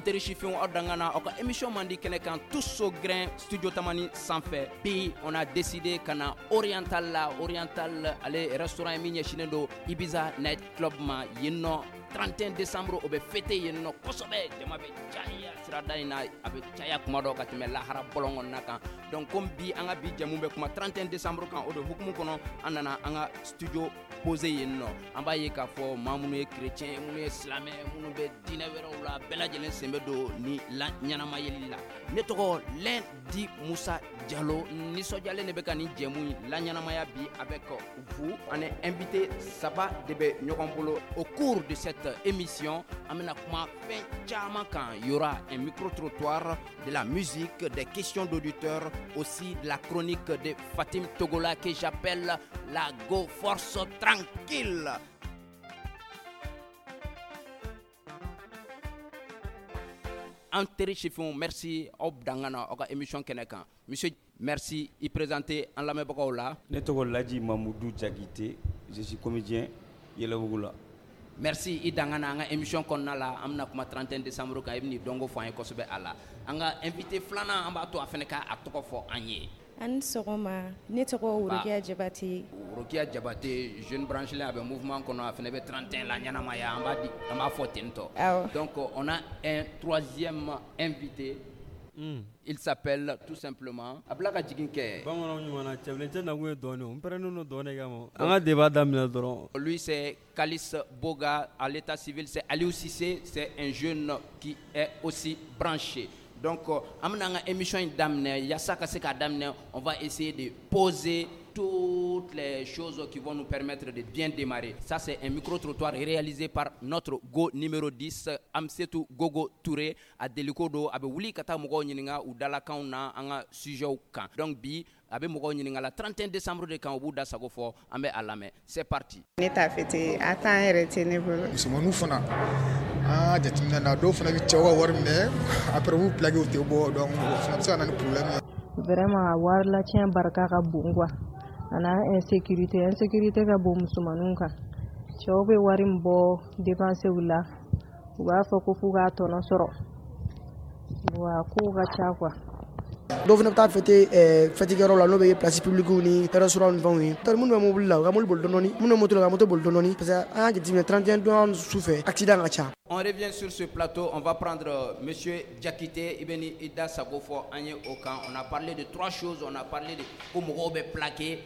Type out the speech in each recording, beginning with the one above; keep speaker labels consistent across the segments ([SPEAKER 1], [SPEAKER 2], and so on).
[SPEAKER 1] teri sifinw, aw dangana aw ka émission mandi kɛnɛ kan, tous au grain, studio Tamani sanfɛ. Bi, on a décidé ka na Oriental la. Oriental, ale restaurant ye min ɲɛsinnen don Ibiza night club ma yen nɔ. 31 décembre, o bɛ fêter yen nɔ kosɛbɛ. Jama bɛ caya sirada in na, a bɛ caya kuma dɔ ka tɛmɛ lahara bɔlɔn kɔnɔna kan. Donc comme bi an ka bi jɛmu bɛ kuma 31 décembre kan, o de hukumu kɔnɔ, an nana an ka studio posé yen nɔ. An b'a ye k'a fɔ maa minnu ye chrétien, minnu ye silamɛ, minnu bɛ diinɛ wɛrɛw la, bɛɛ lajɛlen sen bɛ don ni la ɲɛnamayeli la. Ne tɔgɔ Lundi Musa Jalo. Nisɔndiyalen de bɛ ka nin jɛmu in la ɲɛnamaya bi avec vous. An invité saba de bɛ ɲɔgɔn bolo. Au cours de cette émission, an bɛna kuma fɛn caman kan. Il y aura un micro trottoir, de la musique, des questions d'auditeurs, aussi de la chronique de Fatim Togola que j'appelle la Go Force Tranquille. An teri sifinw, merci, aw dangana aw ka émission kɛnɛ kan. Monsieur, merci, i présenter an lamɛnbagaw la.
[SPEAKER 2] Ne tɔgɔ Laji Mamudu Jakite, je suis comédien Yɛlɛbugu la.
[SPEAKER 1] Merci, i dangana an ka émission kɔnɔna la. An bɛna kuma 31 décembre kan, i bɛ n'i dɔnko fɔ an ye kosɛbɛ a la. An ka invité filanan, an b'a to a fana ka a tɔgɔ fɔ an ye.
[SPEAKER 3] An sɔgɔma, ne tɔgɔ Worokiya Jabate.
[SPEAKER 1] Worokiya Jabate, jeune branché, a bɛ mouvement kɔnɔ, a fana bɛ 31 la ɲɛnamaya, an b'a di, an b'a fɔ ten tɔ.
[SPEAKER 3] Awɔ.
[SPEAKER 1] Donc on a un troisième invité. Il s'appelle tout simplement a bila ka jigin kɛ.
[SPEAKER 4] Bamananw ɲuman na, cɛbilen cɛ nakun ye dɔɔnin o, n pɛrɛnnen don dɔɔnin kama. An ka débat daminɛ dɔrɔn.
[SPEAKER 1] Lui, c'est Kalis Boga, à l'état civil c'est Aliou Cissé, c'est un jeune qui est aussi branché. Donc an bɛna an ka émission in daminɛ. Yaasa ka se k'a daminɛ, on va essayer de poser toutes les choses qui vont nous permettre de bien démarrer. Ça, c'est un micro-trottoir réalisé par notre go numéro 10, Amsetou Gogo Touré, a deliko do, a bɛ wuli ka taa mɔgɔw ɲininka u dalakanw na an ka sujet kan. Donc bi, a bɛ mɔgɔw ɲininka la 31 décembre de kan, u b'u da sago fɔ, an bɛ a lamɛn. C'est parti.
[SPEAKER 5] Ne t'a fêté, a temps yɛrɛ tɛ ne bolo.
[SPEAKER 6] Musomaninw fana, an ka jateminɛ na, dɔw fana bɛ cɛw ka wari minɛ, après u b'u plaqué, u tɛ bɔ, donc o fana bɛ se ka na ni problème ye.
[SPEAKER 7] Vraiment, a wari latiɲɛ barika ka bon quoi. A n'a insécurité, insécurité ka bon musomaninw kan. Cɛw bɛ wari min bɔ dépenses la, u b'a fɔ ko f'u k'a tɔnɔ sɔrɔ. Wa kow ka ca quoi.
[SPEAKER 8] Dɔw fana bɛ taa fêter fêtikɛyɔrɔ la, n'o bɛ place publique ni restaurant ni fɛnw ye. Minnu bɛ mobili la, u ka mobili boli dɔɔni, minnu bɛ moto la, u ka moto boli dɔɔni, parce que an y'a jateminɛ 31 don su fɛ, accident ka ca.
[SPEAKER 1] On revient sur ce plateau, on va prendre monsieur Diakité, i bɛ ni i da sago fɔ an ye o kan. On a parlé de trois choses, on a parlé de ko mɔgɔw bɛ plaqué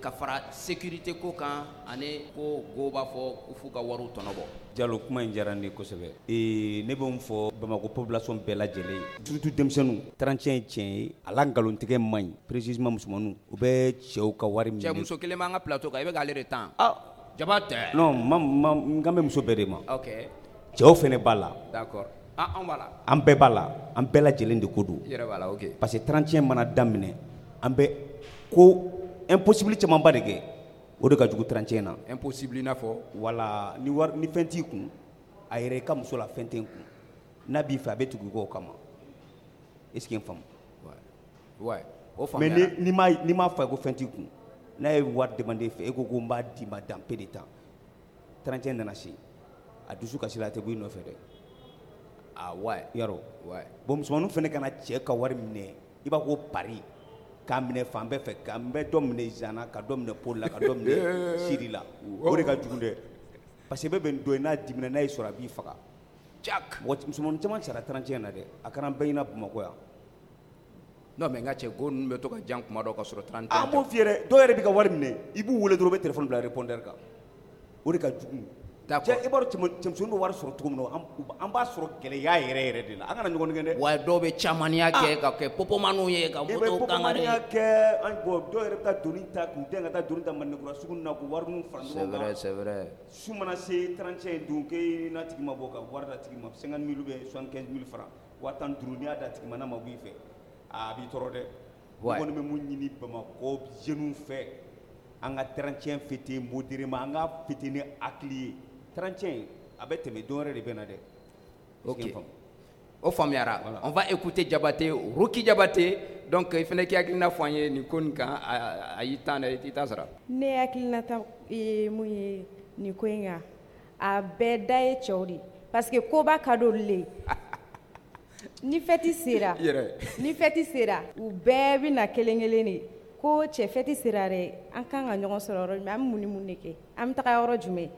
[SPEAKER 1] ka fara sécurité ko kan, ani ko go b'a fɔ ko f'u ka wariw tɔnɔ bɔ.
[SPEAKER 2] Jalo, kuma in diyara ne ye kosɛbɛ. Ne bɛ mun fɔ Bamakɔ population bɛɛ lajɛlen ye, surtout denmisɛnninw, 31 ye tiɲɛ ye, a la nkalontigɛ man ɲi, précisément musomaninw, u bɛ cɛw ka wari minɛ.
[SPEAKER 1] Cɛ, muso kelen b'an ka plateau kan, i bɛ k'ale de tan.
[SPEAKER 2] Ah.
[SPEAKER 1] Jaba tɛ.
[SPEAKER 2] Non, ma ma n kan bɛ muso bɛɛ de ma.
[SPEAKER 1] Ok.
[SPEAKER 2] Cɛw fɛnɛ b'a la.
[SPEAKER 1] D'accord. Ah, an b'a la.
[SPEAKER 2] An bɛɛ b'a la, an bɛɛ lajɛlen de ko don.
[SPEAKER 1] I yɛrɛ b'a la, ok.
[SPEAKER 2] Parce que 31 mana daminɛ, an bɛ ko impossible camanba de kɛ. O de ka jugu 31 na.
[SPEAKER 1] Impossible i n'a fɔ?
[SPEAKER 2] Voilà, ni wari ni fɛn t'i kun, a yɛrɛ i ka muso la fɛn tɛ n kun. N'a b'i fɛ, a bɛ tugu i kɔ o kama. Est ce que n faamu?
[SPEAKER 1] Ouais. O
[SPEAKER 2] Mais
[SPEAKER 1] faamuyara.
[SPEAKER 2] ni m'a fɔ a ye ko fɛn t'i kun, n'a ye wari demandé i fɛ, e ko ko n b'a d'i ma dans peu de temps. 31 nana se, a dusu kasi la, a tɛ bɔ i nɔfɛ dɛ.
[SPEAKER 1] Ah ouais.
[SPEAKER 2] Yarɔ.
[SPEAKER 1] Ouais.
[SPEAKER 2] Bon, musomaninw fana kana cɛ ka wari minɛ, i b'a ko pari, k'a minɛ fan bɛɛ fɛ, ka n bɛ dɔ minɛ Zana, ka dɔ minɛ Poli la, ka dɔ minɛ Siri la. O de ka jugu dɛ. Parce que bɛɛ bɛ nin dɔ ye, n'a dimina, n'a y'i sɔrɔ, a b'i faga.
[SPEAKER 1] Jack.
[SPEAKER 2] Mɔgɔ musomanin caman sara 31 na dɛ. A kɛra an bɛɛ ɲɛna Bamakɔ yan.
[SPEAKER 1] Non mais n ka cɛ, go ninnu bɛ to ka jan kuma dɔ ka sɔrɔ 31.
[SPEAKER 2] An b'o f'i ye dɛ, dɔw yɛrɛ b'i ka wari minɛ, i b'u wele dɔrɔn, u bɛ téléphone bila répondeur kan. O de ka jugu.
[SPEAKER 1] D'accord.
[SPEAKER 2] Cɛ, i b'a dɔn cɛmisɛnninw bɛ wari sɔrɔ cogo min na, an b'a sɔrɔ gɛlɛya yɛrɛ yɛrɛ de la. An kana ɲɔgɔn nɛgɛn dɛ.
[SPEAKER 1] Wa dɔw bɛ camaniya kɛ ka kɛ popomaniw ye ka
[SPEAKER 2] I bɛ
[SPEAKER 1] moto kangari.
[SPEAKER 2] popomaniya kɛ, an bɔn dɔw yɛrɛ bɛ taa doni ta k'u den ka taa doni ta Mandenkura sugu ninnu na, k'u wari ninnu fara
[SPEAKER 1] C'est
[SPEAKER 2] ɲɔgɔn kan.
[SPEAKER 1] vrai, c'est vrai.
[SPEAKER 2] Su mana se 31 don k'e n'a tigi ma bɔ ka wari d'a tigi ma, 50 000 ou bien 75 000 francs, 15 000, n'i y'a d'a tigi ma, n'a ma bɔ i fɛ, a b'i tɔɔrɔ dɛ.
[SPEAKER 1] Ouais.
[SPEAKER 2] Ne kɔni bɛ mun ɲini Bamakɔ jeunes fɛ, an ka 31 fêter modérément, an ka fêter ni hakili ye. 31 a bɛ tɛmɛ, don wɛrɛ de bɛ na dɛ.
[SPEAKER 1] Ok. O faamuyara.
[SPEAKER 2] Voilà.
[SPEAKER 1] On va écouter Diabaté, Ruki Diabaté. Donc i fana k'i hakilina fɔ an ye nin ko nin kan, a y'i tan dɛ, i t'i ta sara.
[SPEAKER 3] Ne hakilinata ye mun ye nin ko in kan, a bɛɛ da ye cɛw de ye, parce que koba ka d'olu le ye. Ni fête sera, ni fête sera, u bɛɛ bɛ na kelen kelen de ko cɛ fête sera dɛ, an kan ka ɲɔgɔn sɔrɔ yɔrɔ jumɛn, an bɛ mun ni mun de kɛ, an bɛ taga yɔrɔ jumɛn?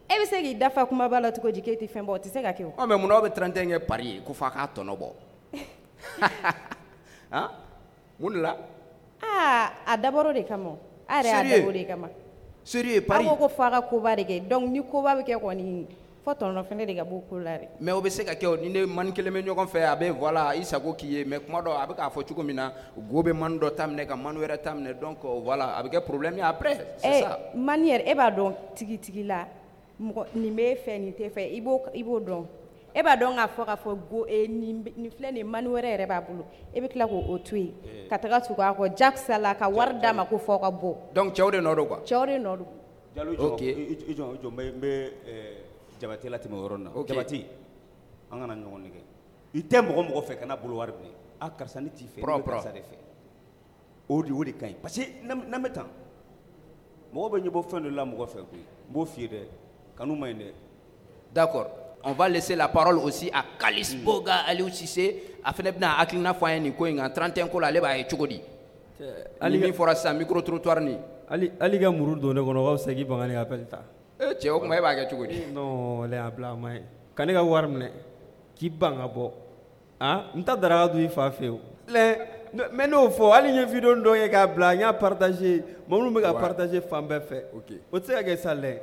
[SPEAKER 3] E bɛ se k'i dafa kumaba la cogo di k'e tɛ fɛn bɔ? O tɛ se ka kɛ o.
[SPEAKER 1] Ɔ mais munna aw bɛ 31 kɛ pari ye ko f'a k'a tɔnɔ bɔ? Han, mun de la?
[SPEAKER 3] Aa, a dabɔra o de kama o. A yɛrɛ y'a dabɔ o de kama.
[SPEAKER 1] Sérieux, pari?
[SPEAKER 3] Aw ko ko f'a ka koba de kɛ, donc ni koba bɛ kɛ kɔni, fo tɔnɔ fɛnɛ de ka bɔ o ko la dɛ.
[SPEAKER 1] Mais o bɛ se ka kɛ o, ni ne mani kelen bɛ ɲɔgɔn fɛ, a bɛ voilà i sago k'i ye, mais kuma dɔ a bɛ k'a fɔ cogo min na, go bɛ mani dɔ ta minɛ ka mani wɛrɛ ta minɛ, donc voilà a bɛ kɛ problème ye après, c'est ça.
[SPEAKER 3] Mani yɛrɛ, e b'a dɔn tigitigi la, mɔgɔ nin b'e fɛ, nin t'e fɛ, i b'o dɔn. E b'a dɔn k'a fɔ go nin filɛ nin mani wɛrɛ yɛrɛ b'a bolo, e bɛ tila k'o to yen ka taga tugu a kɔ jakusa la ka wari d'a ma ko fɔ ka bɔ.
[SPEAKER 1] Donc cɛw de nɔ don quoi.
[SPEAKER 3] Cɛw de nɔ don.
[SPEAKER 2] Jalo,
[SPEAKER 1] ok,
[SPEAKER 2] i jɔ, n bɛ Jabate latɛmɛ o yɔrɔ in na. Jabate, an kana ɲɔgɔn nɛgɛ. I tɛ mɔgɔ fɛ kana bolo wari minɛ. A karisa ne t'i fɛ, ne bɛ karisa de fɛ. O de ka ɲi parce que n'an bɛ tan, mɔgɔ bɛ ɲɛbɔ fɛn dɔ la mɔgɔ fɛ koyi. N b'o f'i ye dɛ, kanu man ɲi dɛ.
[SPEAKER 1] D'accord. On va laisser la parole aussi à Kalis Boga Aliou Cissé. A fana bɛna hakilina fɔ an ye nin ko in kan 31 ko la, ale b'a ye cogo di? Ni min fɔra sisan micro trottoir nin.
[SPEAKER 4] Ali ka muru don ne kɔnɔ, o ka fisa k'i ban ka ne ka appel ta.
[SPEAKER 1] Cɛ, o tuma e b'a kɛ cogo di?
[SPEAKER 4] Non, a bila a ma ɲi. Ka ne ka wari minɛ k'i ban ka bɔ. Han, n ta daraka dun i fa fɛ yen. Mais n'o fɔ, hali n ye vidéo dɔ ye k'a bila, n y'a partager, maa minnu bɛ ka partager fan bɛɛ fɛ. O tɛ se ka kɛ sa lɛ.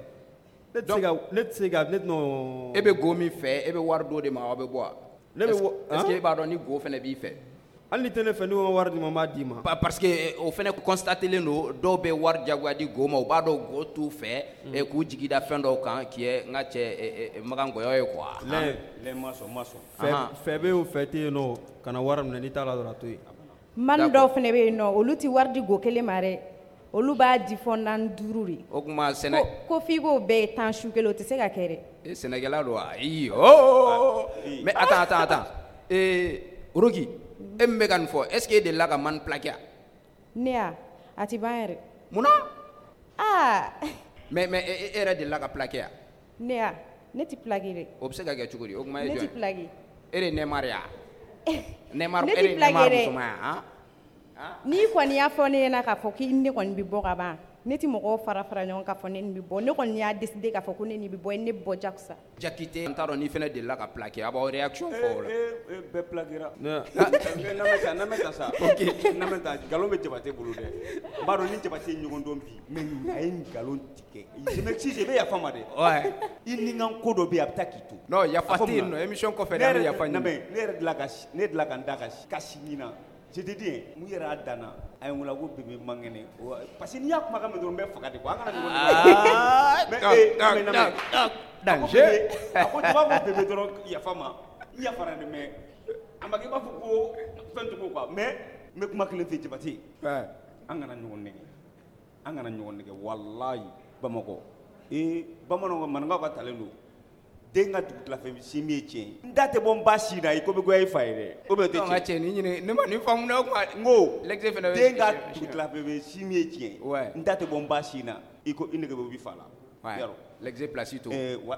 [SPEAKER 4] Ne tɛ se ka non.
[SPEAKER 1] E bɛ go min fɛ, e bɛ wari d'o de ma, aw bɛ bɔ wa?
[SPEAKER 4] Ne bɛ
[SPEAKER 1] est ce que e b'a dɔn ni go fana b'i fɛ?
[SPEAKER 4] Hali ni tɛ ne fɛ, n'i ko n ka wari d'i ma, n b'a d'i ma.
[SPEAKER 1] Parce que o fana constaté len don, dɔw bɛ wari jagoya di go ma, u b'a dɔn go t'u fɛ, k'u jigi da fɛn dɔw kan qui est n ka cɛ Makan Ngɔyɔ ye quoi.
[SPEAKER 2] Lɛ ma sɔn, ma sɔn.
[SPEAKER 4] Fɛ bɛ yen o, fɛ tɛ yen nɔ, kana wari minɛ, n'i t'a la dɔrɔn a to yen.
[SPEAKER 3] Mani dɔw fana bɛ yen nɔ, olu tɛ wari di go kelen ma dɛ. Olu b'a di fɔ 4 5 de.
[SPEAKER 1] O tuma sɛnɛ.
[SPEAKER 3] Ko f'i k'o bɛɛ ye tan su kelen, o tɛ se ka kɛ dɛ.
[SPEAKER 1] Sɛnɛkɛla don wa? Ayi oh. Mais attends. Rogi, e min bɛ ka nin fɔ, est ce que e delila ka mani plaqué?
[SPEAKER 3] Ne ya, a tɛ ban yɛrɛ.
[SPEAKER 1] Munna?
[SPEAKER 3] Aa.
[SPEAKER 1] Mais e yɛrɛ delila ka plaqué?
[SPEAKER 3] Ne ya, ne tɛ plaqué dɛ.
[SPEAKER 1] O bɛ se ka kɛ cogo di? O tuma e jɔn ye?
[SPEAKER 3] Ne tɛ plaqué.
[SPEAKER 1] E de ye Neymar ye wa? Neymar, e de ye Neymar musoman ye han?
[SPEAKER 3] N'i kɔni y'a fɔ ne ɲɛna k'a fɔ k'i ne kɔni bɛ bɔ ka ban, ne tɛ mɔgɔw fara ɲɔgɔn k'a fɔ ne ni bɛ bɔ. Ne kɔni y'a décidé k'a fɔ ko ne ni bɛ bɔ, ne bɛ bɔ jakusa.
[SPEAKER 1] Jakite, n t'a dɔn n'i fana delila ka plaqué, a b'aw réaction fɔ o la.
[SPEAKER 2] Bɛɛ plaqué ra. N'an bɛ taa sa. Ok, n'an bɛ taa, nkalon bɛ Jabate bolo dɛ. N b'a dɔn ni Jabate ye ɲɔgɔn dɔn bi, mais a ye nkalon tigɛ. Je m'excuse, i bɛ yafa n ma dɛ.
[SPEAKER 1] Ouais.
[SPEAKER 2] I ni n ka ko dɔ bɛ yen, a bɛ taa k'i to.
[SPEAKER 1] Non, yafa tɛ yen nɔ, émission kɔfɛ de an bɛ yafa ɲini.
[SPEAKER 2] Ne yɛrɛ delila ka n da ka si ɲin na. Je te dis, mun yɛrɛ y'a dan na, a ye n wele ko bébé man kɛnɛ. Parce que n'i y'a kumakan mɛn dɔrɔn n bɛ faga de quoi. An kana ɲɔgɔn nɛgɛ.
[SPEAKER 1] Danger.
[SPEAKER 2] A ko jama ko bébé dɔrɔn yafa ma. N yafara dɛ, mais a ma kɛ i b'a fɔ ko fɛn cogo quoi. Mais n bɛ kuma kelen f'i ye Jabate. An kana ɲɔgɔn nɛgɛ. An kana ɲɔgɔn nɛgɛ walayi Bamakɔ. Bamananw maninkaw ka talen don. Den ka dugutilafɛ sin min ye tiɲɛ ye. N da tɛ bɔ n ba sin na i ko bɛ goya i fa ye dɛ. O bɛ tɛ tiɲɛ.
[SPEAKER 1] Nka cɛ nin ɲini ne ma nin faamu dɛ o kuma.
[SPEAKER 2] N ko
[SPEAKER 1] l'exe fana bɛ
[SPEAKER 2] den ka dugutilafɛ sin min ye tiɲɛ ye.
[SPEAKER 1] Ouais.
[SPEAKER 2] N da tɛ bɔ n ba sin na i ko i nege bɛ i fa la.
[SPEAKER 1] Ouais. L'exe place to.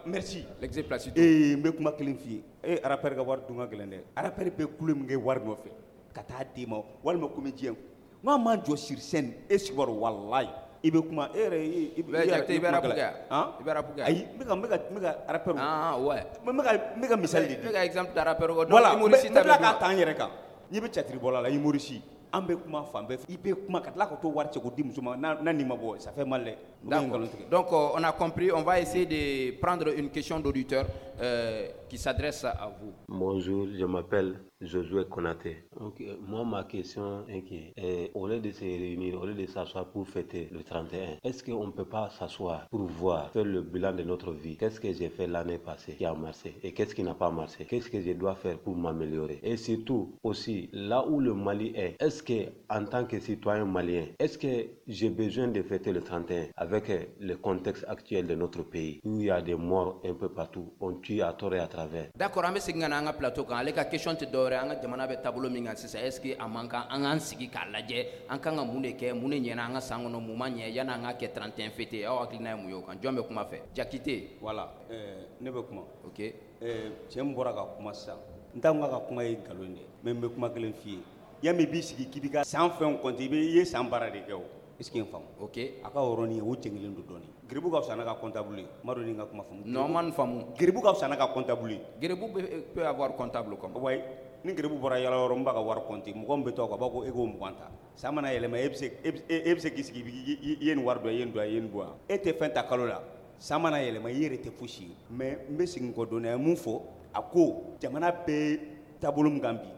[SPEAKER 2] Merci.
[SPEAKER 1] L'exe place to.
[SPEAKER 2] N bɛ kuma kelen f'i ye. Rappeur ka wari dun ka gɛlɛn dɛ. Rappeur bɛ kulo min kɛ wari nɔfɛ ka taa d'e ma walima comédien. N k'a man jɔ sur scène e sigi walayi. I bɛ kuma e yɛrɛ i
[SPEAKER 1] bɛ rap kɛ i bɛ rap kɛ
[SPEAKER 2] ayi n bɛ ka rappeur
[SPEAKER 1] ah ouais
[SPEAKER 2] n bɛ ka misali de di
[SPEAKER 1] n bɛ ka exemple ta rappeur ko
[SPEAKER 2] donc humoriste ta bɛ n bɛ tila k'a ta n yɛrɛ kan n'i bɛ théâtre bɔla la humoriste an bɛ kuma fan bɛɛ fɛ i bɛ kuma ka tila ka t'o wari cɛ k'o di muso ma n'a nin ma bɔ ça fait mal dɛ.
[SPEAKER 1] D'accord. Donc on a compris, on va essayer de prendre une question d'auditeur qui s'adresse à vous.
[SPEAKER 9] Bonjour, je m'appelle Josué Konaté. Donc, moi, ma question est que, au lieu de se réunir, au lieu de s'asseoir pour fêter le 31, est-ce qu'on ne peut pas s'asseoir pour voir, faire le bilan de notre vie? Qu'est-ce que j'ai fait l'année passée qui a marché et qu'est-ce qui n'a pas marché? Qu'est-ce que je dois faire pour m'améliorer? Et surtout, aussi, là où le Mali est, est-ce que, en tant que citoyen malien, est-ce que j'ai besoin de fêter le 31 avec le contexte actuel de notre pays, où il y a des morts un peu partout, on tue à tort et à travers?
[SPEAKER 1] D'accord, an bɛ segin ka na an ka plateau kan. Ale ka question tɛ dɔwɛrɛ ye, an ka jamana bɛ taabolo min kan sisan, est ce que a man kan an k'an sigi k'a lajɛ, an kan ka mun de kɛ, mun de ɲɛna an ka san kɔnɔ, mun ma ɲɛ, yanni an ka kɛ 31 fête? Aw hakilina ye mun ye o kan? Jɔn bɛ kuma fɛ? Jakite.
[SPEAKER 2] Voilà, ne bɛ kuma.
[SPEAKER 1] Ok.
[SPEAKER 2] Cɛ min bɔra ka kuma sisan, N t'a ka kuma ye nkalon dɛ, mais n bɛ kuma kelen f'i ye. Yanni i b'i sigi k'i b'i ka san fɛnw compter, i ye san baara de kɛ o. Est ce que n faamu?
[SPEAKER 1] Ok.
[SPEAKER 2] A ka yɔrɔnin o jɛngɛlen don dɔɔnin. Geribu ka fisa n'a ka comptable ye. N m'a dɔn ni n ka kuma faamu.
[SPEAKER 1] Non, ma nin faamu.
[SPEAKER 2] Geribu ka fisa n'a ka comptable ye.
[SPEAKER 1] Geribu peut avoir comptable comme.
[SPEAKER 2] Ouais. Ni geribu bɔra yala yɔrɔ, n b'a ka wari compter, mɔgɔ min bɛ to a kɔ, a b'a ko e k'o 20 ta. San mana yɛlɛma, e bɛ se k'i sigi, i ye nin wari dɔn, i ye nin dɔn, i ye nin bɔ yan. E tɛ fɛn ta kalo la. San mana yɛlɛma, i yɛrɛ tɛ fosi ye. Mais n bɛ segin kɔ dɔɔnin, a ye mun fɔ? A ko jamana bɛ taabolo min kan bi,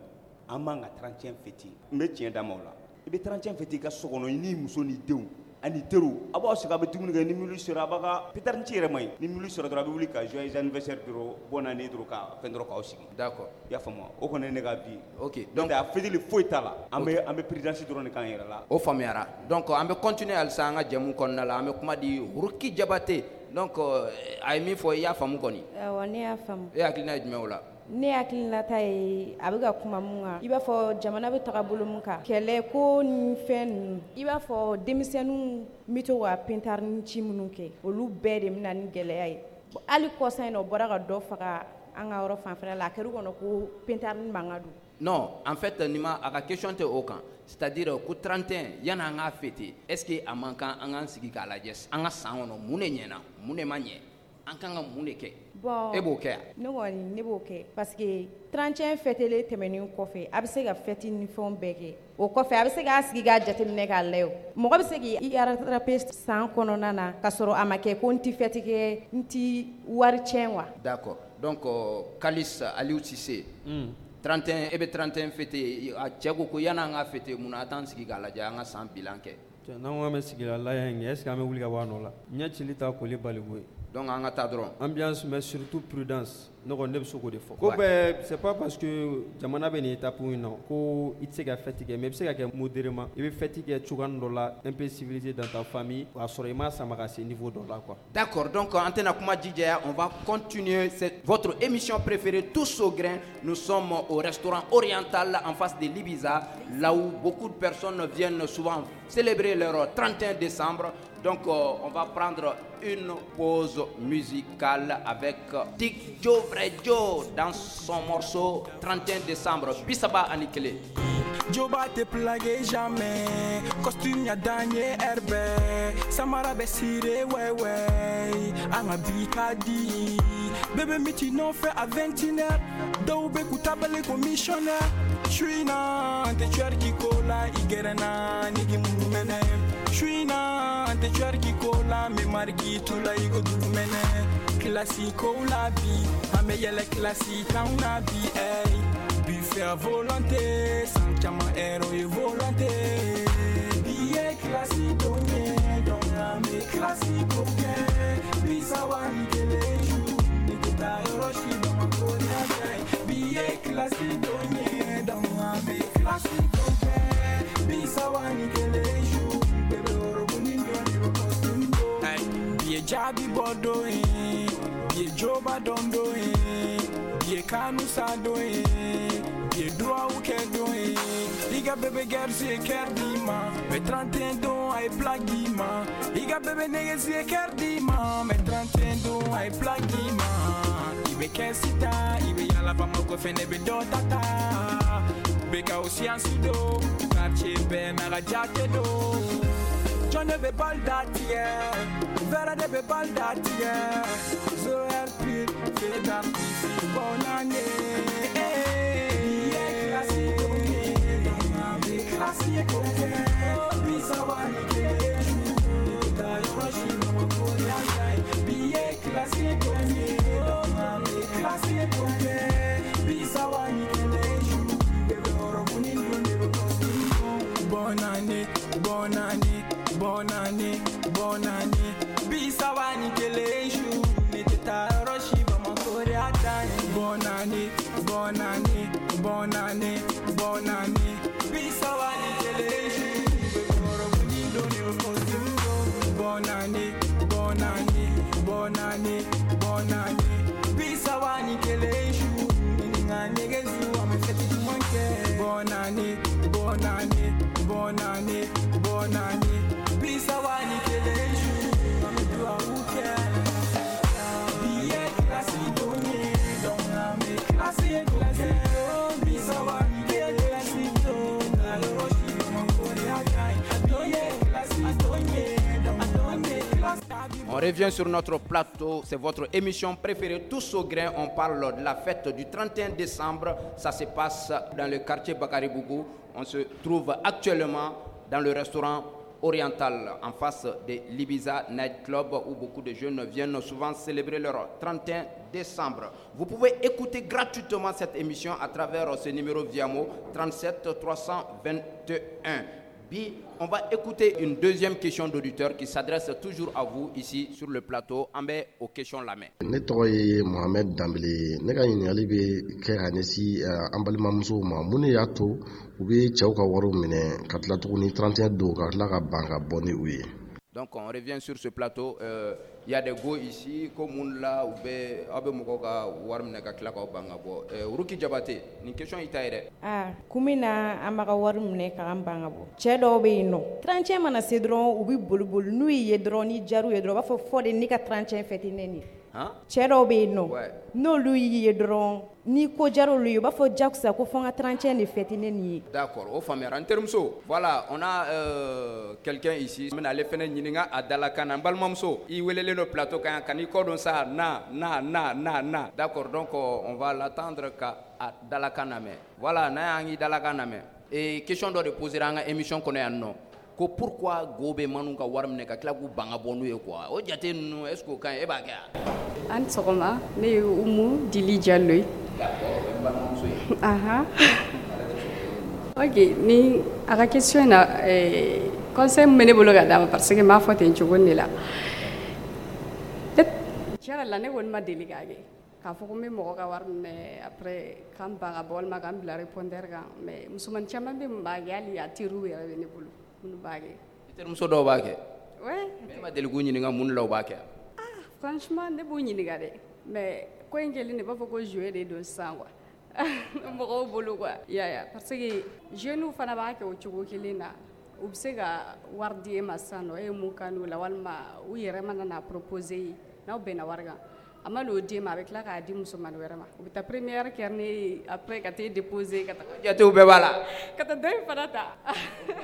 [SPEAKER 2] an man ka 31 fêter. N bɛ tiɲɛ d'a ma o la. I bɛ 31 fêter i ka so kɔnɔ, i n'i muso n'i denw ani teriw. A b'aw sigi, a bɛ dumuni kɛ, ni minuit sera, a b'a ka pétard ci yɛrɛ man ɲi. Ni minuit sera dɔrɔn, a bɛ wuli ka joyeux anniversaire dɔrɔn, bonne année dɔrɔn, ka fɛn dɔrɔn k'aw sigi.
[SPEAKER 1] D'accord.
[SPEAKER 2] I y'a faamu wa? O kɔni ye ne ka vie.
[SPEAKER 1] Ok.
[SPEAKER 2] Donc a fêter foyi t'a la. An bɛ prudence dɔrɔn de k'an yɛrɛ la.
[SPEAKER 1] O faamuyara. Donc an bɛ continuer halisa an ka jɛmu kɔnɔna la. An bɛ kuma di Ruki Jabate. Donc a ye min fɔ, i y'a faamu kɔni?
[SPEAKER 3] Awɔ, ne y'a faamu.
[SPEAKER 1] E hakilina ye jumɛn o la?
[SPEAKER 3] Ne hakilinata ye, a bɛ ka kuma mun kan, i b'a fɔ jamana bɛ taga bolo mun kan, kɛlɛ ko ni fɛn ninnu, i b'a fɔ denmisɛnninw bɛ to ka pintarini ci minnu kɛ, olu bɛɛ de bɛ na ni gɛlɛya ye. Hali kɔsa in na, o bɔra ka dɔ faga an ka yɔrɔ fanfɛla la, a kɛra u kɔnɔ ko pintarini mankan don.
[SPEAKER 1] Non, en fait, nin ma a ka question tɛ o kan. C'est-à-dire ko 31, yanni an k'a fêter, est ce que a man kan an k'an sigi k'a lajɛ an ka san kɔnɔ, mun de ɲɛna, mun de ma ɲɛ, an kan ka mun de kɛ?
[SPEAKER 3] Bon,
[SPEAKER 1] e b'o kɛ yan?
[SPEAKER 3] Ne kɔni, ne b'o kɛ parce que 31 fêtelen tɛmɛnen kɔfɛ, a bɛ se ka fête ni fɛnw bɛɛ kɛ. O kɔfɛ, a bɛ se k'a sigi k'a jateminɛ k'a lajɛ. O mɔgɔ bɛ se k'i rattraper san kɔnɔna na ka sɔrɔ a ma kɛ ko n ti fête kɛ, n ti wari tiɲɛ quoi.
[SPEAKER 1] D'accord. Donc Kalis Aliou Cissé, 31, e bɛ 31 fêter. A cɛ ko ko yanni an k'a fêter, mun na a t'an sigi k'a lajɛ, an ka san bilan kɛ?
[SPEAKER 4] N'an ko an bɛ sigi la laya in kɛ, est ce que an bɛ wuli ka bɔ a nɔ la? Ɲɛ cili ta koli baliku ye.
[SPEAKER 1] Donc an ka taa dɔrɔn.
[SPEAKER 4] Ambiance, mais surtout prudence. Ne kɔni, ne bɛ se k'o de fɔ. Ko bɛɛ, c'est pas parce que jamana bɛ nin étape in na ko i tɛ se ka fête kɛ, mais i bɛ se ka kɛ modérément. I bɛ fête kɛ cogoya dɔ la, un peu civilisé dans ta famille, o y'a sɔrɔ i m'a sama ka se niveau dɔ la quoi.
[SPEAKER 1] D'accord, donc an tɛna kuma jijaya, on va continuer cette votre émission préférée, Tous au grain. Nous sommes au restaurant Oriental en face de l'Ibiza, là où beaucoup de personnes viennent souvent célébrer leur 31 décembre. Donc on va prendre une pause musicale avec Tic Joe Vrai Joe dans son morceau 31 décembre, 31.
[SPEAKER 10] Joba te plaguer jamais. Costume ya danye herbe. Samara be sire ouais. An ka bi ka di. Bébé miti nɔfɛ à 21h. Dɔw bɛ k'u tabale ko missionnaire. Su in na, an tɛ twerk ko la, i gɛrɛ na, ni k'i munu mɛnɛ. Su in na, an tɛ twerk ko la, n bɛ mariki tu la i ko dugumɛnɛ. Classico la bi, an bɛ yɛlɛ classe t'anw na bi, ey. Buffet à volonté, san caman hero ye volonté. Bi ye classe don ye, donc an bɛ classico kɛ. 31 su, ne tɛ taa yɔrɔ si Bamakɔ yan tɛ. Bi ye classe don ye, donc an bɛ classico kɛ. 31 su, bébé orobunin dɔ de bɛ costume don. Hey, bi ye jaabi bɔ don ye, bi ye joba dɔn don ye, bi ye kanu sa don ye, bi ye duwawu kɛ don ye. I ka bébé gɛrisi ye kɛri d'i ma, mais 31 don a ye plaque d'i ma. I ka bébé negesi ye kɛri d'i ma, mais 31 don a ye plaque d'i ma. I bɛ kɛsi ta, i bɛ yala Bamakɔ fɛnɛ bɛ dɔ ta ta. Bɛ ka o siyansi don, quartier bɛɛ n'a ka jate don. Jɔn de bɛ bal da tigɛ, Vera de bɛ bal da tigɛ. Zéro heure pile, feu d'artifice, bonne année. Bi ye classico ye, donc an bɛ classico kɛ. 31 su, ne tɛ taa yɔrɔ si Bamakɔ yan tɛ. Bi ye classico ye, donc an bɛ classico kɛ. 31 su, bébé orobunin don de bɛ costume don. Bonne année, bonne année, bonne année, bonne année. 31 su, ne tɛ taa yɔrɔ si Bamakɔ yan tɛ. Bonne année, bonne année, bonne année, bonne année. 31 su, bébé orobunin don de bɛ costume don. Bonne année, bonne année, bonne année, bonne année. 31 su, ni n ka nɛgɛsu, an bɛ fête duman kɛ. Bonne année, bonne année, bonne année, bonne année. 31 su.
[SPEAKER 1] On revient sur notre plateau, c'est votre émission préférée, Tous au grain. On parle de la fête du 31 décembre. Ça se passe dans le quartier Bakaribougou. On se trouve actuellement dans le restaurant Oriental, en face de l'Ibiza Night Club, où beaucoup de jeunes viennent souvent célébrer leur 31 décembre. Vous pouvez écouter gratuitement cette émission à travers ce numéro Viamo 37 321. Bi, on va écouter une deuxième question d'auditeur qui s'adresse toujours à vous ici sur le plateau. An bɛ o question lamɛn.
[SPEAKER 11] Ne tɔgɔ ye Mohamed Danbele. Ne ka ɲininkali bɛ kɛ ka ɲɛsin an balimamusow ma. Mun de y'a to u bɛ cɛw ka wariw minɛ ka tila tuguni 31 don ka tila ka ban ka bɔ ni u ye?
[SPEAKER 1] Donc on revient sur ce plateau. Il y a des go ici ko mun la u bɛ aw bɛ mɔgɔw ka wari minɛ ka tila k'aw ban ka bɔ. Ruki Jabate, nin question i ta ye dɛ.
[SPEAKER 3] Aa, kun min na an b'a ka wari minɛ k'an ban ka bɔ. Cɛ dɔw bɛ yen nɔ, 31 mana se dɔrɔn u bɛ boli boli, n'u y'i ye dɔrɔn, ni jar'u ye dɔrɔn, u b'a fɔ fɔ de ne ka 31 fêter ne nin. Cɛ dɔw bɛ yen nɔ, n'olu y'i ye dɔrɔn, ni ko jar'olu ye, u b'a fɔ jagosa ko fo n ka 31 de fêter ne nin ye.
[SPEAKER 1] D'accord, o faamuyara. N terimuso, voilà, on a quelqu'un ici. N bɛna ale fana ɲininka a dalakan na. N balimamuso, i welelen don plateau kan yan, ka n'i kɔ don sa, na na na na na. D'accord, donc on va l'attendre ka a dalakan lamɛn. Voilà, n'a y'an k'i dalakan lamɛn. Et question dɔ de posera an ka émission kɔnɔ yan nɔ. Ko pourquoi go bɛ manu ka wari minɛ ka tila k'u ban ka bɔ n'u ye quoi? O jate ninnu, est ce que o ka ɲi? E b'a kɛ wa?
[SPEAKER 12] An sɔgɔma, ne ye Umu Dili Jalo ye.
[SPEAKER 1] D'accord, o ye n balimamuso ye.
[SPEAKER 12] Ahan. Ok, ni a ka question na, conseil min bɛ ne bolo ka d'a ma, parce que n b'a fɔ ten cogo de la. Tiɲɛ yɛrɛ la, ne kɔni ma deli k'a kɛ. K'a fɔ ko n bɛ mɔgɔ ka wari minɛ après k'an ban ka bɔ walima k'an bila répondeur kan, mais musomanin caman bɛ min b'a kɛ, hali a teriw yɛrɛ bɛ ne bolo minnu b'a kɛ.
[SPEAKER 1] I terimuso dɔw b'a kɛ?
[SPEAKER 12] Ouais.
[SPEAKER 1] Mais e ma deli k'u ɲininka mun de la u b'a kɛ?
[SPEAKER 12] Ah, franchement, ne b'u ɲininka dɛ, mais ko in kɛlen de b'a fɔ ko jouet de don sisan quoi. Mɔgɔw bolo quoi. I y'a ye, parce que jeunes fana b'a kɛ o cogo kelen na. U bɛ se ka wari di e ma sisan nɔ, e ye mun kanu la, walima u yɛrɛ mana na proposer ye, n'aw bɛnna wari kan. A ma n'o d'e ma, a bɛ tila k'a di musomanin wɛrɛ ma. U bɛ taa première kɛ ne ye, après ka t'e déposer ka taa.
[SPEAKER 1] Jatew bɛɛ b'a la.
[SPEAKER 12] Ka taa dɔ in fana ta.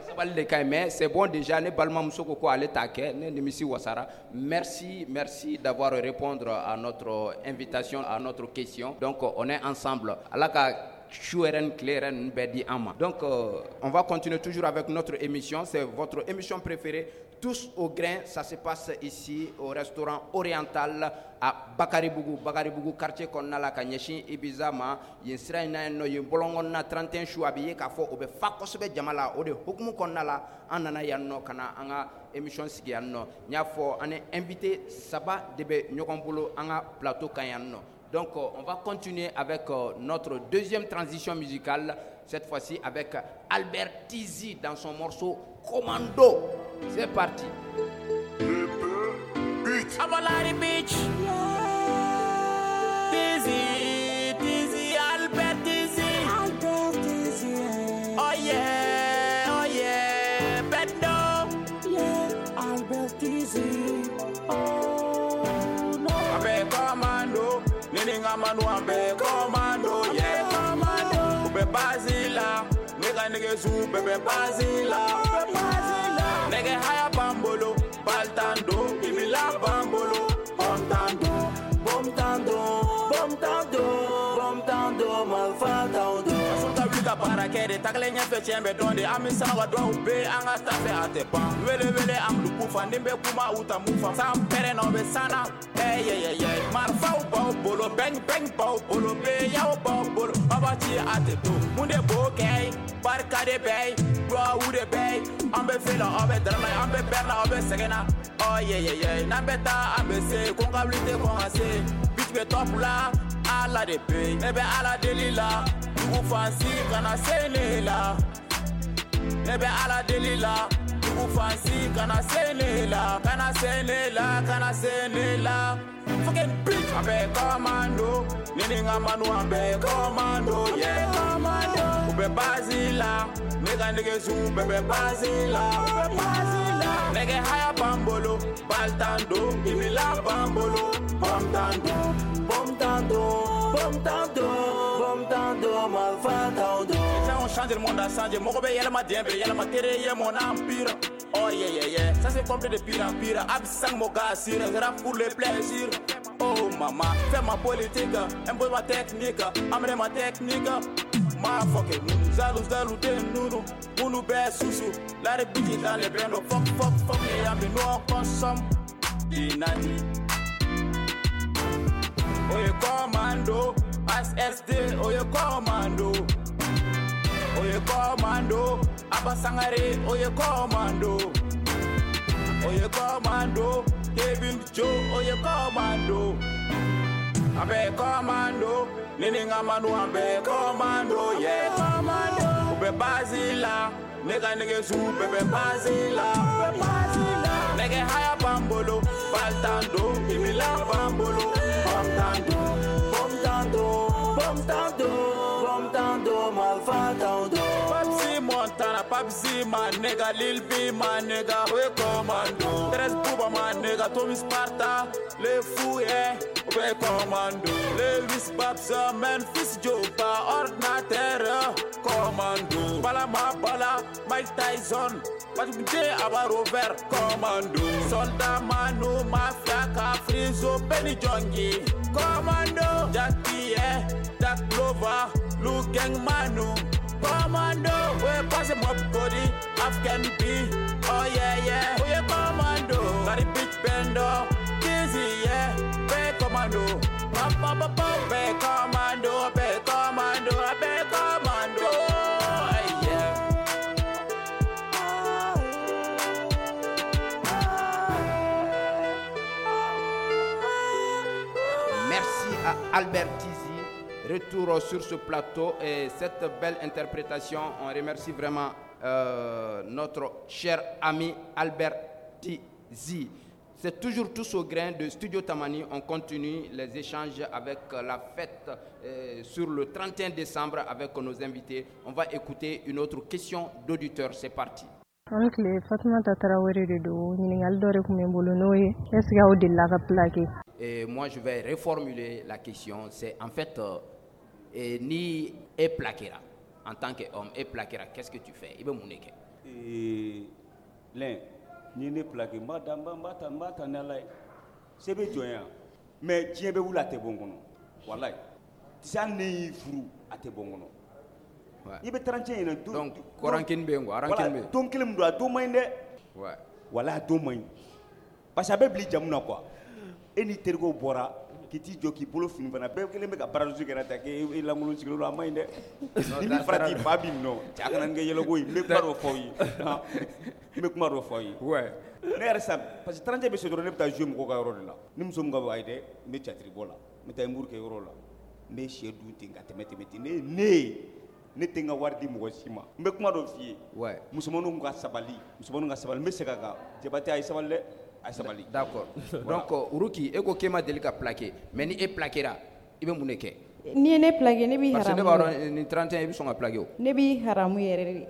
[SPEAKER 1] Sabali de ka ɲi, mais c'est bon déjà, ne balimamuso ko ko ale t'a kɛ, ne nimisi wasara. Merci, merci d'avoir répondu à notre invitation, à notre question. Donc on est ensemble. Ala ka su yɛrɛ ni tile yɛrɛ ninnu bɛɛ di an ma. Donc on va continuer toujours avec notre émission, c'est votre émission préférée, Tous au grain. Ça se passe ici au restaurant Oriental à Bakaribougou, Bakaribougou quartier kɔnɔna la ka ɲɛsin Ibiza ma. Yen sira in na yen nɔ, yen bɔlɔn kɔnɔna 31 su a bɛ ye k'a fɔ o bɛ fa kosɛbɛ jama la. O de hukumu kɔnɔna la, an nana yan nɔ ka na an ka émission sigi yan nɔ. N y'a fɔ, an ni invité saba de bɛ ɲɔgɔn bolo an ka plateau kan yan nɔ. Donc on va continuer avec notre deuxième transition musicale, cette fois-ci avec Albert Tizi dans son morceau Commando. C'est parti.
[SPEAKER 10] Abalari Beach. Tizi, Tizi, Albert Tizi. Albert Tizi. Oh yeah, oh yeah, Bendo. Yeah, Albert Tizi. Oh no. Abe commando, Nininga manu abe commando, yeah. Commando. Ube Basila, nigga nigga su bebe Basila. Nigga haya bambolo, baltando, ibila bambolo, bomtando, bomtando, bomtando, bomtando, malfatando. Asunta wuli ka baara kɛ de, tagalen ɲɛfɛ tiɲɛ bɛ dɔn de, an bɛ sanga ka dɔw bɛ an ka taa fɛ a tɛ ban. Wele wele an bɛ kufa, ni bɛ kuma u ta mun fa, san pɛrɛn na u bɛ san na, ɛyɛyɛyɛ. Marifaw b'aw bolo, bɛng bɛng b'aw bolo, beyaw b'aw bolo, baba ci a tɛ to. Mun de b'o kɛ ye? Barika de bɛ ye, duwawu de bɛ ye, an bɛ fɛ la, aw bɛ dara la, an bɛ bɛrɛ la, aw bɛ sɛgɛn na. Oh yeah yeah yeah, n'an bɛ taa an bɛ se, ko n ka wuli tɛ kɔn ka se. Bitch bɛ top la, Ala de bɛ yen, ne bɛ Ala deli la, dugu fan si kana se ne la. Ne bɛ Ala deli la, dugu fan si kana se ne la, kana se ne la, kana se ne la. Fucking bitch, an bɛ commando, ne ni n ka manu an bɛ commando, yeah. Commando. U bɛ base la, ne ka nɛgɛsu bɛɛ bɛ base la. U bɛ base la. Nɛgɛ haya b'an bolo, baltando, ibila b'an bolo, bomtando, bomtando, bomtando, bomtando, malfatando. Les gens ont changé, le monde a changé, mɔgɔ bɛ yɛlɛma, diɲɛ bɛ yɛlɛma, tere ye mon empire. Oh yeah yeah yeah, ça c'est complet de pire en pire. Absang mon gars, rap pour le plaisir. Oh maman, fais ma politique, impose ma technique, amène ma technique. Ma fucking zalou zalou de nounu, mounou be soussou. La république dans les bendo, fuck fuck fuck les amis, nous on consomme. Dinati. Oye commando, SSD, oye commando. Oye commando, Abba Sangare, oye commando. Oye commando, Kevin Joe, oye commando. Abe commando, Nene Ngamanu abe commando, yeah. Commando, Ube Basila, nigga nigga su bebe Basila, Basila. Nigga haya bambolo, baltando, imila bambolo, bamtando, bamtando, bamtando, bamtando, malfatando. Papsi Montana, Papsi my nigga, Lil B my nigga, we commando. Tres Buba my nigga, Tommy Sparta, le fou yeah. We commando. Lewis Babs, Memphis Joba, ordinateur, commando. Bala ma bala, Mike Tyson, Batubide Aba Rover, commando. Soldat Manu, Mafia, Frizo, Benny Jongi, commando. Jack Pierre, Jack Glover, Luke Gang Manu, commando. We pass mob Cody, Afghan B, oh yeah yeah. We commando. Gary Bitch Bendo, Dizzy yeah. Commando, pa pa pa pa, be commando, be commando, be commando, yeah.
[SPEAKER 1] Merci à Albert Tizi. Retour sur ce plateau et cette belle interprétation. On remercie vraiment notre cher ami Albert Tizi. C'est toujours tous au grain de Studio Tamani. On continue les échanges avec la fête sur le 31 décembre avec nos invités. On va écouter une autre question d'auditeur. C'est parti. Et moi, je vais reformuler la question. C'est en fait, ni e plaquera en tant qu'homme, e plaquera, qu'est-ce que tu fais? Il veut mon
[SPEAKER 2] L'un. Ni ne plaqué mba da mba mba ta mba ta n'ala ye se bɛ jɔn yan mais diɲɛ bɛ wuli a tɛ bɔ n kɔnɔ walayi tisa ne y'i furu a tɛ bɔ n kɔnɔ i bɛ 31 ɲinɛ don
[SPEAKER 1] donc rancune bɛ yen quoi rancune bɛ yen
[SPEAKER 2] don kelen min don a don man ɲi dɛ walayi a don man ɲi parce que a bɛ bila i jamu na quoi e n'i terikɛw bɔra k'i t'i jɔ k'i bolo fini fana bɛɛ kelen bɛ ka baradusu kɛ ta k'e lankolon sigilen don a man ɲi dɛ ni min farati fa b'i minɛ o cɛ a kana nin kɛ yɛlɛko ye n bɛ kuma dɔ fɔ aw ye n bɛ kuma dɔ fɔ aw ye ne yɛrɛ sa parce que 31 bɛ se dɔrɔn ne bɛ taa jouer mɔgɔw ka yɔrɔ de la ni muso min ka ayi dɛ n bɛ théâtre bɔ la n bɛ taa humour kɛ yɔrɔ la n bɛ sɛ dun ten ka tɛmɛ tɛmɛ ten ne tɛ n ka wari di mɔgɔ si ma n bɛ kuma dɔ f'i ye musomaninw ka sabali musomaninw ka sabali n bɛ segin a kan Jabate a ye sabali dɛ.
[SPEAKER 1] D'accord. Donc, Ruki, e ko k'e ma deli ka plaqué mais ni e plaquera i bɛ mun de kɛ?
[SPEAKER 3] N'i ye ne plaqué ne b'i haramu.
[SPEAKER 1] Parce que ne b'a dɔn ni 31 i bɛ sɔn ka plaqué o.
[SPEAKER 3] Ne b'i haramu yɛrɛ de.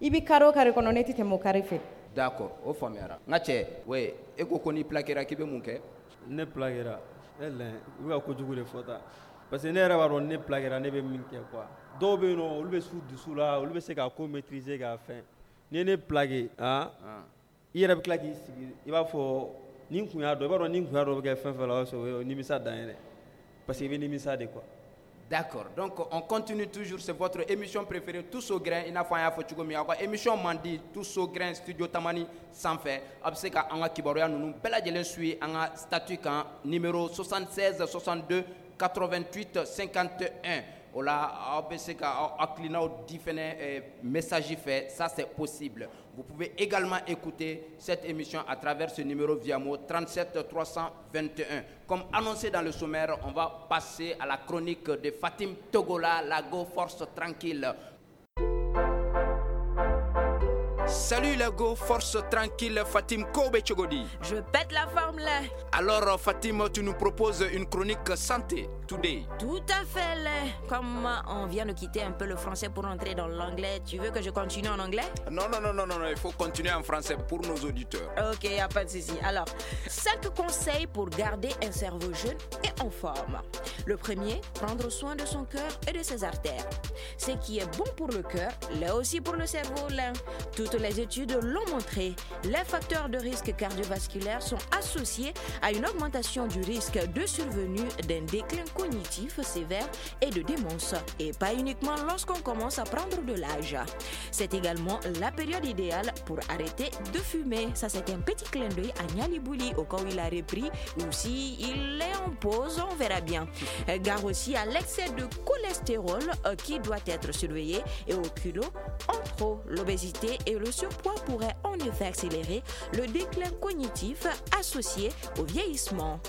[SPEAKER 3] I bɛ carré o carré kɔnɔ ne tɛ tɛmɛ o carré fɛ.
[SPEAKER 1] D'accord, o faamuyara. N ka cɛ, ouais, e ko ko n'i plaquera k'i bɛ mun kɛ?
[SPEAKER 4] Ne plaquera, e lɛ, i bɛ ka kojugu de fɔ tan. Parce que ne yɛrɛ b'a dɔn ne plaquera ne bɛ min kɛ quoi. Dɔw bɛ yen nɔ olu bɛ s'u dusu la, olu bɛ se k'a ko maîtriser k'a fɛn. N'i ye ne plaqué, han. I yɛrɛ bɛ tila k'i sigi i b'a fɔ ni n kun y'a dɔn i b'a dɔn ni n kun y'a dɔn bɛ kɛ fɛn fɛn la o y'a sɔrɔ o ye nimisa dan ye dɛ parce que i bɛ nimisa de quoi.
[SPEAKER 1] D'accord. Donc on continue toujours, c'est votre émission préférée Tous au grain. I n'a fɔ an y'a fɔ cogo min aw ka émission man di Tous au grain Studio Tamani sanfɛ. A bɛ se ka an ka kibaruya ninnu bɛɛ lajɛlen suit an ka statut kan numéro 76 62 88 51. O la aw bɛ se ka aw hakilinaw di fɛnɛ message fɛ, ça c'est possible. Vous pouvez également écouter cette émission à travers ce numéro via mot 37 321. Comme annoncé dans le sommaire, on va passer à la chronique de Fatim Togola, la Go Force Tranquille. Salut la Go Force Tranquille, Fatim Kobe Chogodi.
[SPEAKER 13] Je pète la forme là.
[SPEAKER 1] Alors Fatim, tu nous proposes une chronique santé today.
[SPEAKER 13] Tout à fait là. Comme on vient de quitter un peu le français pour entrer dans l'anglais, tu veux que je continue en anglais?
[SPEAKER 1] Non, non, non, non, non, il faut continuer en français pour nos auditeurs.
[SPEAKER 13] Ok, y a pas de souci. Alors, 5 conseils pour garder un cerveau jeune et en forme. Le premier, prendre soin de son cœur et de ses artères. Ce qui est bon pour le cœur, l'est aussi pour le cerveau là. Toutes Toutes les études l'ont montré. Les facteurs de risque cardiovasculaire sont associés à une augmentation du risque de survenue d'un déclin cognitif sévère et de démence, et pas uniquement lorsqu'on commence à prendre de l'âge. C'est également la période idéale pour arrêter de fumer. Ça, c'est un petit clin d'œil à Niali Bouli, au cas où il a repris ou si il est en pause, on verra bien. Gare aussi à l'excès de cholestérol qui doit être surveillé et au kilo en trop. L'obésité et le surpoids pourraient en effet accélérer le déclin cognitif associé au vieillissement.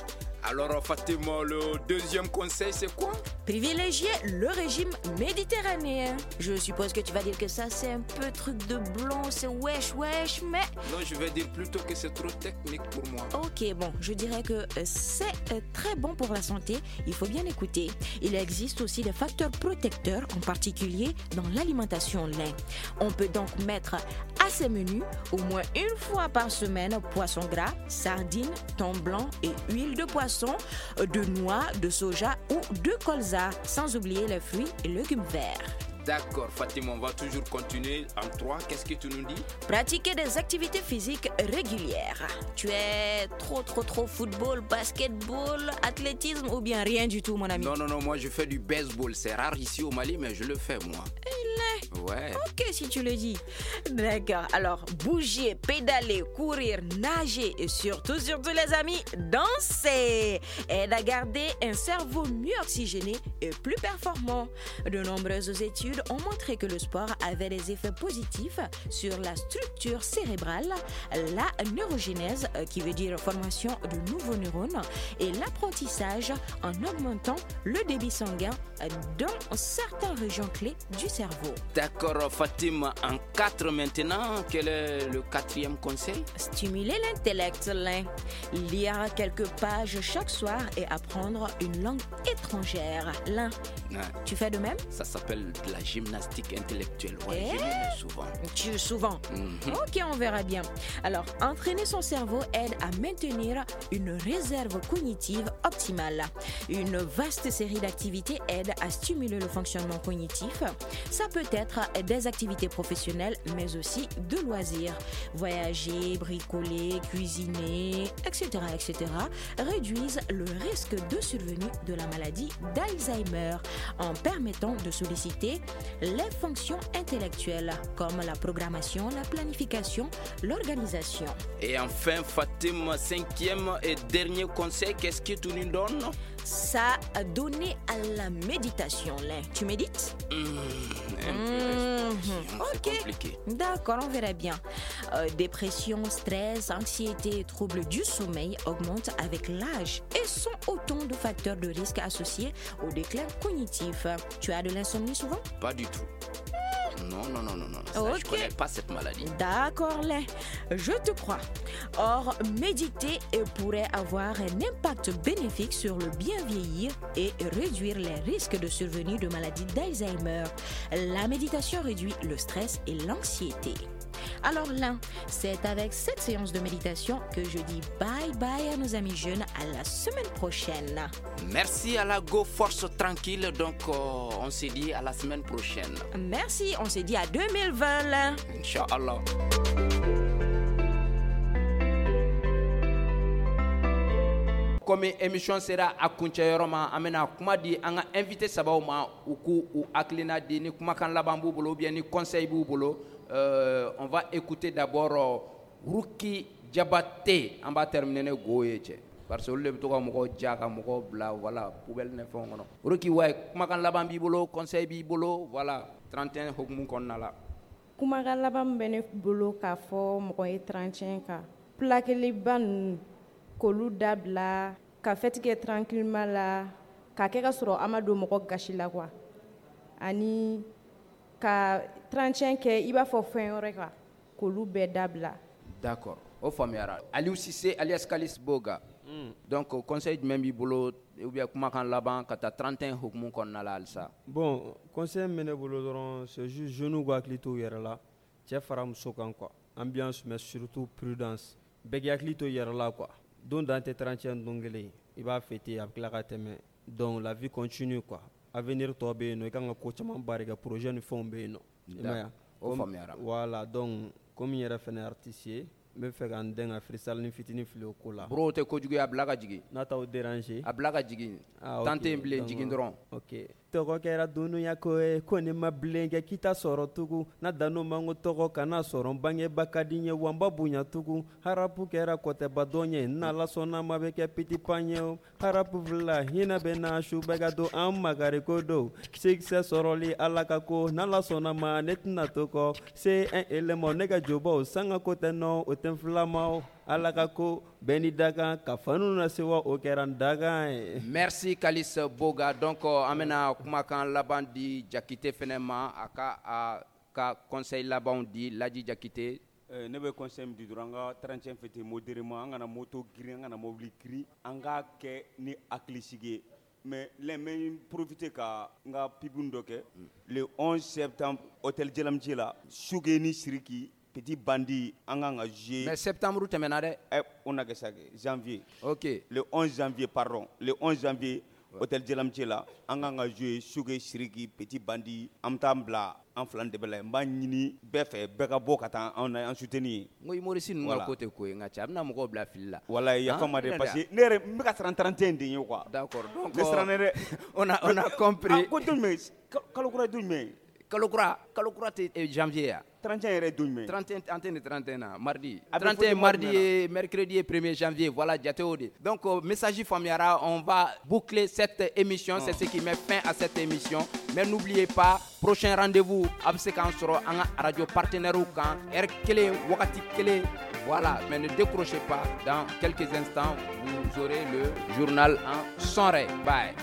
[SPEAKER 10] Alors Fatima, le deuxième conseil, c'est quoi?
[SPEAKER 13] Privilégier le régime méditerranéen. Je suppose que tu vas dire que ça, c'est un peu truc de blond, c'est wesh wesh, mais...
[SPEAKER 10] Non, je vais dire plutôt que c'est trop technique pour moi.
[SPEAKER 13] Ok, bon, je dirais que c'est très bon pour la santé, il faut bien écouter. Il existe aussi des facteurs protecteurs, en particulier dans l'alimentation lin. On peut donc mettre à ses menus au moins une fois par semaine poisson gras, sardines, thon blanc et huile de poisson, de noix, de soja ou de colza, sans oublier les fruits et légumes verts.
[SPEAKER 10] D'accord, Fatima, on va toujours continuer en 3. Qu'est-ce que tu nous dis?
[SPEAKER 13] Pratiquer des activités physiques régulières. Tu es trop football, basketball, athlétisme ou bien rien du tout, mon ami?
[SPEAKER 10] Non, moi je fais du baseball. C'est rare ici au Mali, mais je le fais, moi. Ouais.
[SPEAKER 13] Ok, si tu le dis. D'accord. Alors, bouger, pédaler, courir, nager et surtout les amis, danser aide à garder un cerveau mieux oxygéné et plus performant. De nombreuses études ont montré que le sport avait des effets positifs sur la structure cérébrale, la neurogénèse, qui veut dire formation de nouveaux neurones, et l'apprentissage en augmentant le débit sanguin dans certaines régions clés du cerveau.
[SPEAKER 1] D'accord, Fatima, en 4 maintenant, quel est le quatrième conseil?
[SPEAKER 13] Stimuler l'intellect, lire quelques pages chaque soir et apprendre une langue étrangère. L'un,
[SPEAKER 1] ouais.
[SPEAKER 13] Tu fais de même?
[SPEAKER 1] Ça s'appelle de la gymnastique intellectuelle. Ouais, je le souvent.
[SPEAKER 13] Tu souvent? Mm-hmm. Ok, on verra bien. Alors, entraîner son cerveau aide à maintenir une réserve cognitive optimale. Une vaste série d'activités aide à stimuler le fonctionnement cognitif. Ça peut être des activités professionnelles, mais aussi de loisirs. Voyager, bricoler, cuisiner, etc., etc., réduisent le risque de survenue de la maladie d'Alzheimer en permettant de solliciter les fonctions intellectuelles comme la programmation, la planification, l'organisation.
[SPEAKER 1] Et enfin, Fatima, cinquième et dernier conseil, qu'est-ce que tu nous donnes?
[SPEAKER 13] Ça a donné à la méditation. Là. Tu médites?
[SPEAKER 1] C'est compliqué.
[SPEAKER 13] D'accord, on verra bien. Dépression, stress, anxiété et troubles du sommeil augmentent avec l'âge et sont autant de facteurs de risque associés au déclin cognitif. Tu as de l'insomnie souvent?
[SPEAKER 1] Pas du tout. Non. Ça, okay. Je ne connais pas cette maladie.
[SPEAKER 13] D'accord, Lin. Je te crois. Or, méditer pourrait avoir un impact bénéfique sur le bien vieillir et réduire les risques de survenue de maladies d'Alzheimer. La méditation réduit le stress et l'anxiété. Alors Lin, c'est avec cette séance de méditation que je dis bye bye à nos amis jeunes, à la semaine prochaine.
[SPEAKER 1] Merci à la Go Force Tranquille, donc on se dit à la semaine prochaine.
[SPEAKER 13] Merci, on se dit à 2020 Lin.
[SPEAKER 1] Inch'Allah. Komi émission sera a kuncɛyɔrɔ ma, an bɛna kuma di an ka invité sabaw ma u k'u u hakilina di ni kumakan laban b'u bolo ou bien ni conseil b'u bolo. On va écouter d'abord Ruki Diabaté. An b'a terminer ne go ye cɛ parce que olu de bɛ to ka mɔgɔw ja ka mɔgɔw bila voilà poubelle ni fɛnw kɔnɔ. Ruki wayi, kumakan laban b'i bolo, conseil b'i bolo, voilà 31 hukumu kɔnɔna la.
[SPEAKER 3] Kumakan laban min bɛ ne bolo k'a fɔ mɔgɔ ye 31 kan, plaqueliba ninnu k'olu dabila, ka fête kɛ tranquillement la, k'a kɛ ka sɔrɔ an ma don mɔgɔ gasi la quoi, ani ka 31 kɛ i b'a fɔ fɛn wɛrɛ kan, k'olu bɛɛ dabila.
[SPEAKER 1] D'accord, o faamuyara. Aliou Cissé alias Kalis Boga. Donc conseil jumɛn b'i bolo ou bien kumakan laban ka taa 31 hukumu kɔnɔna la halisa?
[SPEAKER 4] Bon, conseil min bɛ ne bolo dɔrɔn, c'est juste jeunes k'u hakili to u yɛrɛ la, cɛ fara muso kan quoi, ambiance mais surtout prudence, bɛɛ k'i hakili to i yɛrɛ la quoi. Don dan tɛ 31 don kelen, i b'a fêter a bɛ tila ka tɛmɛ, donc la vie continue quoi. Avenir tɔ bɛ yen nɔ, i kan ka ko caman baara kɛ, projet ni fɛnw bɛ yen nɔ. I m'a ye wa?
[SPEAKER 1] O faamuyara.
[SPEAKER 4] Voilà, donc Komi n yɛrɛ fɛnɛ artiste ye, n bɛ fɛ ka n dɛn ka freestyle ni fitinin fili o ko la.
[SPEAKER 1] Bro, o tɛ kojugu ye, a bila ka jigin.
[SPEAKER 4] N'a t'aw déranger.
[SPEAKER 1] A bila ka jigin.
[SPEAKER 4] Ah,
[SPEAKER 1] Temps
[SPEAKER 4] ok,
[SPEAKER 1] tɛ yen bilen,
[SPEAKER 4] donc,
[SPEAKER 1] jigin dɔrɔn.
[SPEAKER 4] Ok. Tɔgɔ kɛra dunuya ko ye, ko ne ma bilen kɛ k'i t'a sɔrɔ tugun. N'a dan'o ma, n ko tɔgɔ kana sɔrɔ n bangeba ka di n ye, wa n ba bonya tugun. Harapu kɛra kɔtɛba dɔn ye, n'Ala sɔnna ma bɛ kɛ petit pan ye o. Harapu fila hinɛ bɛ na su bɛɛ ka don an makari ko don. Succès sɔrɔli Ala ka ko, n'Ala sɔnna ma ne tɛna to kɔ. C'est un élément ne ka jobaw sanga ko tɛ nɔ, o tɛ n filama o. Ala ka ko bɛɛ ni dakan ka fanu na sewa, o kɛra n dakan ye.
[SPEAKER 1] Merci Kalis Boga. Donc an bɛna kumakan laban di Jakite fɛnɛ ma, a ka a ka conseil labanw di. Laji Jakite.
[SPEAKER 2] Ne bɛ conseil min di dɔrɔn, an ka 31 fêter modérément, an kana moto girin, an kana mobili girin, an k'a kɛ ni hakilisigi ye. Mais là, n bɛ profiter ka n ka pub dɔ kɛ le 11 septembre, hôtel Djelamdji la, Suge ni Siriki Petit Bandi, an kan ka jouer.
[SPEAKER 1] Mais septembre tɛmɛna dɛ.
[SPEAKER 2] On a kɛ sa kɛ janvier.
[SPEAKER 1] Ok.
[SPEAKER 2] Le 11 janvier, pardon, le 11 janvier, hôtel Djelamdji la, an kan ka jouer Suge Siriki Petit Bandi. An bɛ taa an bila an fila de bɛ la, n b'a ɲini bɛɛ fɛ, bɛɛ ka bɔ ka taa anw na an soutenir.
[SPEAKER 1] N ko humoriste ninnu ka ko tɛ ko ye, n ka cɛ, a bɛna mɔgɔw bila fili la.
[SPEAKER 2] Walahi, yafa ma dɛ, parce que ne yɛrɛ n bɛ ka siran 31 de ɲɛ quoi.
[SPEAKER 1] D'accord, donc
[SPEAKER 2] ne siranna dɛ.
[SPEAKER 1] On a compris.
[SPEAKER 2] Ah, ko don jumɛn, kalo kura ye don jumɛn?
[SPEAKER 1] Kalo kura, kalo kura tɛ janvier ya.
[SPEAKER 2] 31 yɛrɛ ye don jumɛn?
[SPEAKER 1] 31, an tɛ nin 31 na, mardi.
[SPEAKER 2] A bɛ
[SPEAKER 1] 31
[SPEAKER 2] fɔ mois
[SPEAKER 1] mardi
[SPEAKER 2] jumɛn na?
[SPEAKER 1] Ye mercredi ye 1er janvier, voilà, jate o de. Donc message faamuyara, on va boucler cette émission, c'est ce qui met fin à cette émission. Mais n'oubliez pas, prochain rendez-vous a bɛ se k'an sɔrɔ an ka radio partenaire kan, heure kelen, wagati kelen. Voilà, mais ne décrochez pas, dans quelques instants, vous aurez le journal en son. Bye.